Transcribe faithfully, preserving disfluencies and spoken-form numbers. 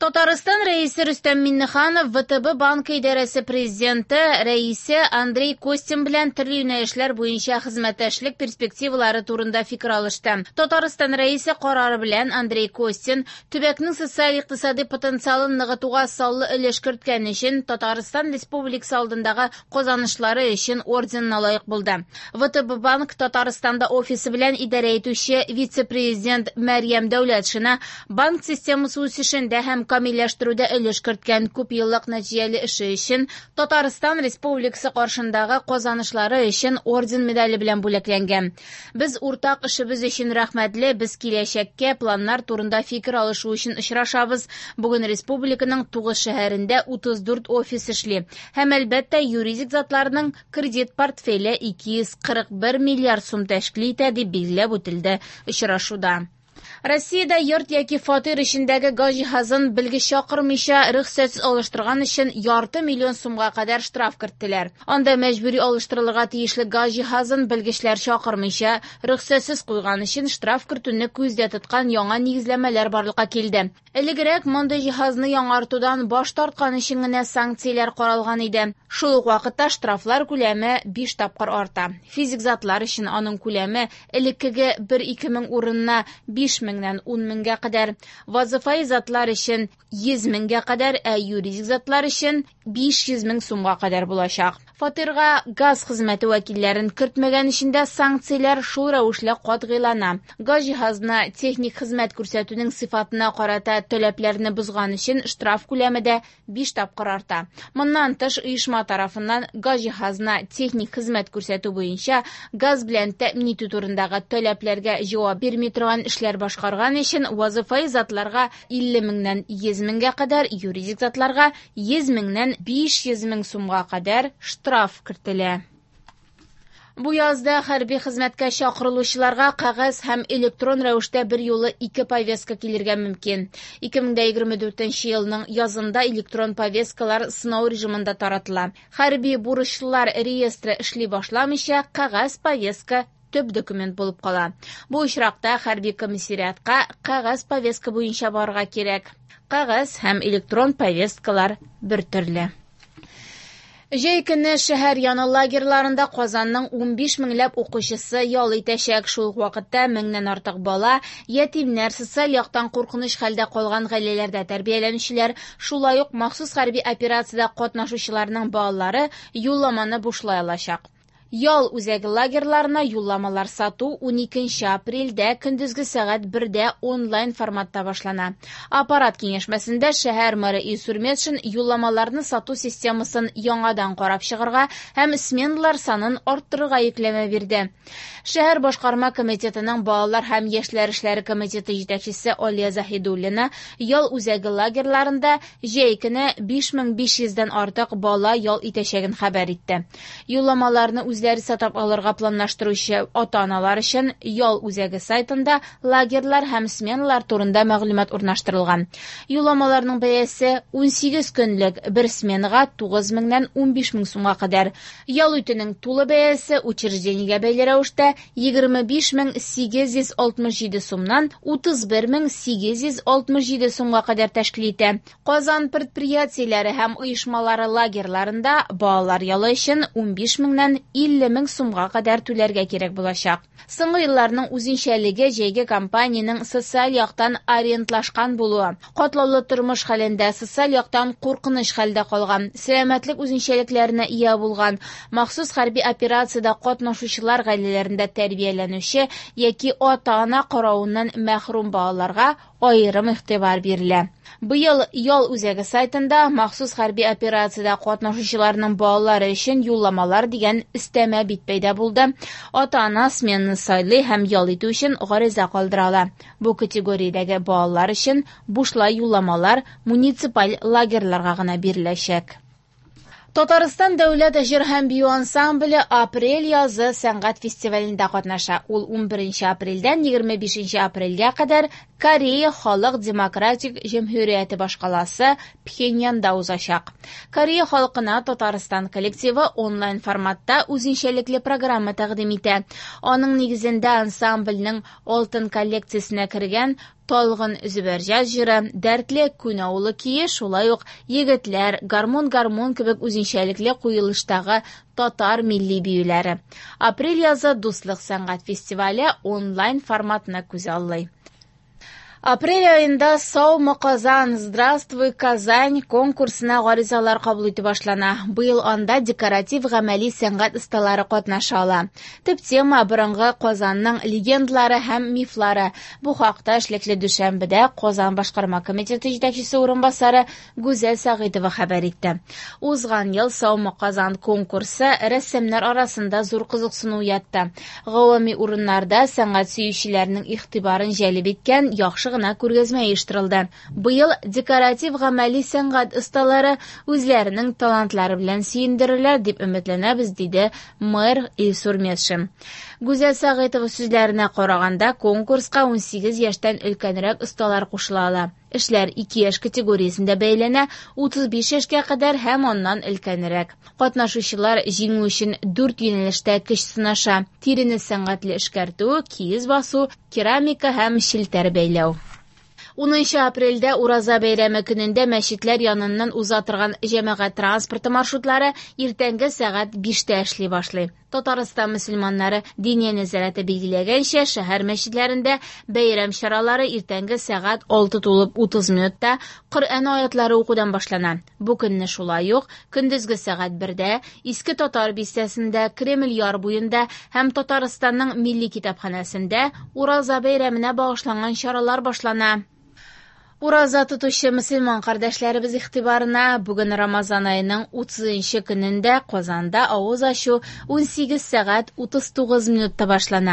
Татарстан Рәисе Рөстәм Миңнеханов вэ тэ бэ банкы идарәсе президенты рәисе Андрей Костин белән төрле юнәлешләр буенча хезмәттәшлек перспективалары турында фикер алышты. Татарстан Рәисе карары белән Андрей Костин төбәкнең социаль-икътисади потенциалын ныгытуга саллы өлеш керткән өчен Татарстан Республикасы алдындагы казанышлары өчен орденына лаек булды. вэ тэ бэ банк Татарстанда офисы белән идарә итүче вице-президент Мәрьям Дәүләтшина банк системасы үсешендә һәм камилләштерүдә өлеш керткән күп еллык нәтиҗәле эше өчен Татарстан Республикасы каршындагы казанышлары өчен орден медале белән бүләкләнгән. Без уртак эшебез өчен рәхмәтле, без киләчәккә планнар турында фикер алышу өчен очрашабыз. Бүген республиканың тугыз шәһәрендә утыз дүрт офис эшли. Һәм әлбәттә, юридик затларның кредит портфеле ике йөз кырык бер миллиард сум тәшкил итә, дип билгеләп үтелде очрашуда. Россиядә йорт яки фатир эчендәге газ җиһазын белгеч чакырмыйча рөхсәтсез алыштырган өчен ярты миллион сумга кадәр штраф керттеләр. Анда мәҗбүри алыштырылырга тиешле газ җиһазын белгечләр чакырмыйча рөхсәтсез куйган өчен штраф кертүне күздә тоткан яңа нигезләмәләр барлыкка килде. Элегрәк мондый җиһазны яңартудан баш тарткан өчен генә санкцияләр каралган иде. Шул ук вакытта штрафлар күләме биш тапкыр арта. Физик затлар өчен аның күләме элеккеге бер-ике мең урынына биш меңнән ун меңгә кадәр, вазифаи затлар өчен йөз меңгә кадәр, ә юридик затлар өчен биш йөз мең сумга кадәр булачак. Фатирга газ хезмәте вәкилләрен кертмәгән өчен дә санкцияләр шул рәвешле катгыйлана. Газ җиһазына техник хезмәт күрсәтүнең сыйфатына карата таләпләрне бозган өчен штраф күләме дә биш тапкыр арта. Моннан тыш, оешма тарафыннан газ җиһазына техник хезмәт күрсәтү буенча газ белән тәэмин итү турындагы таләпләргә җавап бирми торган эшләр башкарган өчен вазифаи затларга илле меңнән йөз меңгә кадәр, юридик затларга йөз меңнән биш йөз мең сумга кадәр штраф кертелә. Бу язда хәрби хезмәткә чакырылучыларга кәгазь һәм электрон рәвештә бер юлы ике повестка килергә мөмкин. ике мең егерме дүртенче елның язында электрон повесткалар сынау режимында таратыла. Хәрби бурычлылар реестры эшли башламыйча, кәгазь повестка төп документ булып кала. Бу очракта хәрби комиссариатка кәгазь повестка буенча барырга кирәк. Кәгазь һәм электрон повесткалар бер төрле. Җәй көне шәһәр яны лагерьларында Казанның унбиш меңләп укучысы ял итәчәк. Шул ук вакытта меңнән артык бала, ятимнәр, социаль яктан куркыныч хәлдә калган гаиләләрдә тәрбияләнүчеләр, шулай ук махсус хәрби операциядә катнашучыларның балалары юлламаны бушлай алачак. Ял үзәге лагерьларына юлламалар сату уникенче апрельдә көндезге сәгать бердә онлайн форматта башлана. Аппарат киңәшмәсендә шәһәр мэры Илсур Метшин юлламаларны сату системасын яңадан карап чыгарга һәм сменалар санын арттырырга йөкләмә бирде. Шәһәр башкарма комитетының балалар һәм яшьләр эшләре комитеты җитәкчесе Алия Заһидуллина ял үзәге лагерьларында җәй көне биш мең биш йөздән артык бала ял итәчәген хәбәр итте. Юлламаларны үзләре сатып алырга планлаштыручы ата-аналар өчен ял үзәге сайтында лагерьлар һәм сменалар турында мәгълүмат урнаштырылган. Юлламаларның бәясе унсигез көнлек бер сменага тугыз меңнән унбиш мең сумга кадәр. Ял итүнең тулы бәясе учреждениегә бәйле рәвештә егерме биш мең сигез йөз алтмыш җиде сумнан утыз бер мең сигез йөз алтмыш җиде сумга кадәр тәшкил итә. Казан предприятиеләре һәм оешмалары лагерьларында балалар ялы өчен унбиш меңнән илле мең сумга кадәр түләргә кирәк булачак. Соңгы елларның үзенчәлеге җәйге кампаниянең социаль яктан ориентлашкан булуы. Катлаулы тормыш хәлендә социаль яктан куркыныч хәлдә калган, сәламәтлек үзенчәлекләренә ия булган, махсус хәрби операциядә катнашучылар гаиләләрендә тәрбияләнүче яки ата-ана каравыннан мәхрүм балаларга аерым игътибар бирелә. Быел ял үзәге сайтында махсус хәрби операциядә катнашучыларның балалары өчен юлламалар дигән өстәмә бит пәйда булды. Ата-ана сменаны сайлый һәм ял итү өчен гариза калдыра ала. Бу категориядәге балалар өчен бушлай юлламалар муниципаль лагерьларга гына биреләчәк. Татарстан дәүләт җыр һәм бию ансамбле апрель язы сәнгать фестивалендә катнаша. Ул унберенче апрельдән егерме бишенче апрельгә кадәр Корея Халык Демократик Җөмһүрияте башкаласы Пхеньянда узачак. Корея халкына Татарстан коллективы онлайн форматта үзенчәлекле программа тәкъдим итә. Аның нигезендә ансамбльнең алтын коллекциясенә кергән Талгын Зөбәрҗәт җыры, дәртле Күн авылы көе, шулай ук Егетләр, Гармун-гармун кебек үзенчәлекле куелыштагы татар милли биюләре. Апрель язы Дуслык сәнгать фестивале онлайн форматны күзаллый. Апрель аенда «Саумы, Казан! Здравствуй, Казань!» конкурсына гаризалар кабул итү башлана. Быел анда декоратив-гамәли сәнгать осталары катнаша ала. Төп тема – борынгы Казанның легендалары һәм мифлары. Бу хакта эшлекле дүшәмбедә Казан башкарма комитеты җитәкчесе урынбасары Гүзәл Сәгыйтова хәбәр итте. Узган ел «Саумы, Казан» конкурсы рәссамнар арасында зур кызыксыну уятты. Гавами урыннарда сәнгать сөючеләрнең игътибарын җәлеп иткән яхшы гына күргәзмә оештырылды. Быел декоратив-гамәли сәнгать осталары үзләренең талантлары белән сөендерерләр дип өметләнәбез, диде мэр Илсур Метшин. Гүзәл Сәгыйтова сүзләренә караганда, конкурска унсигез яшьтән өлкәнрәк осталар кушыла ала. Эшләр ике яшь категориясендә бәяләнә, утыз биш яшькә кадәр һәм аннан өлкәнрәк. Катнашучылар җиңү өчен дүрт юнәлештә көч сынаша: тирене сәнгатьле эшкәртү, киез басу, керамика һәм челтәр бәйләү. Унынчы апрельдә Ураза бәйрәме көнендә мәчетләр яныннан уза торган җәмәгать транспорты маршрутлары иртәнге сәгать биштә эшли башлый. Татарстан мөселманнары Диния нәзарәте билгеләгәнчә, шәһәр мәчетләрендә бәйрәм чаралары иртәнге сәгать алты тулып утыз минутта Коръән аятлары укудан башлана. Бу көнне шулай ук көндезге сәгать бердә Иске Татар бистәсендә, Кремль яр буенда һәм Татарстанның милли китапханәсендә Ураза бәйрәменә багышланган чаралар башлана. Ураза тотучы мөселман кардәшләребез игътибарына бүген Рамазан аеның утызынчы көнендә Казанда авыз ачу унсигез сәгать утыз тугыз минутта башлана.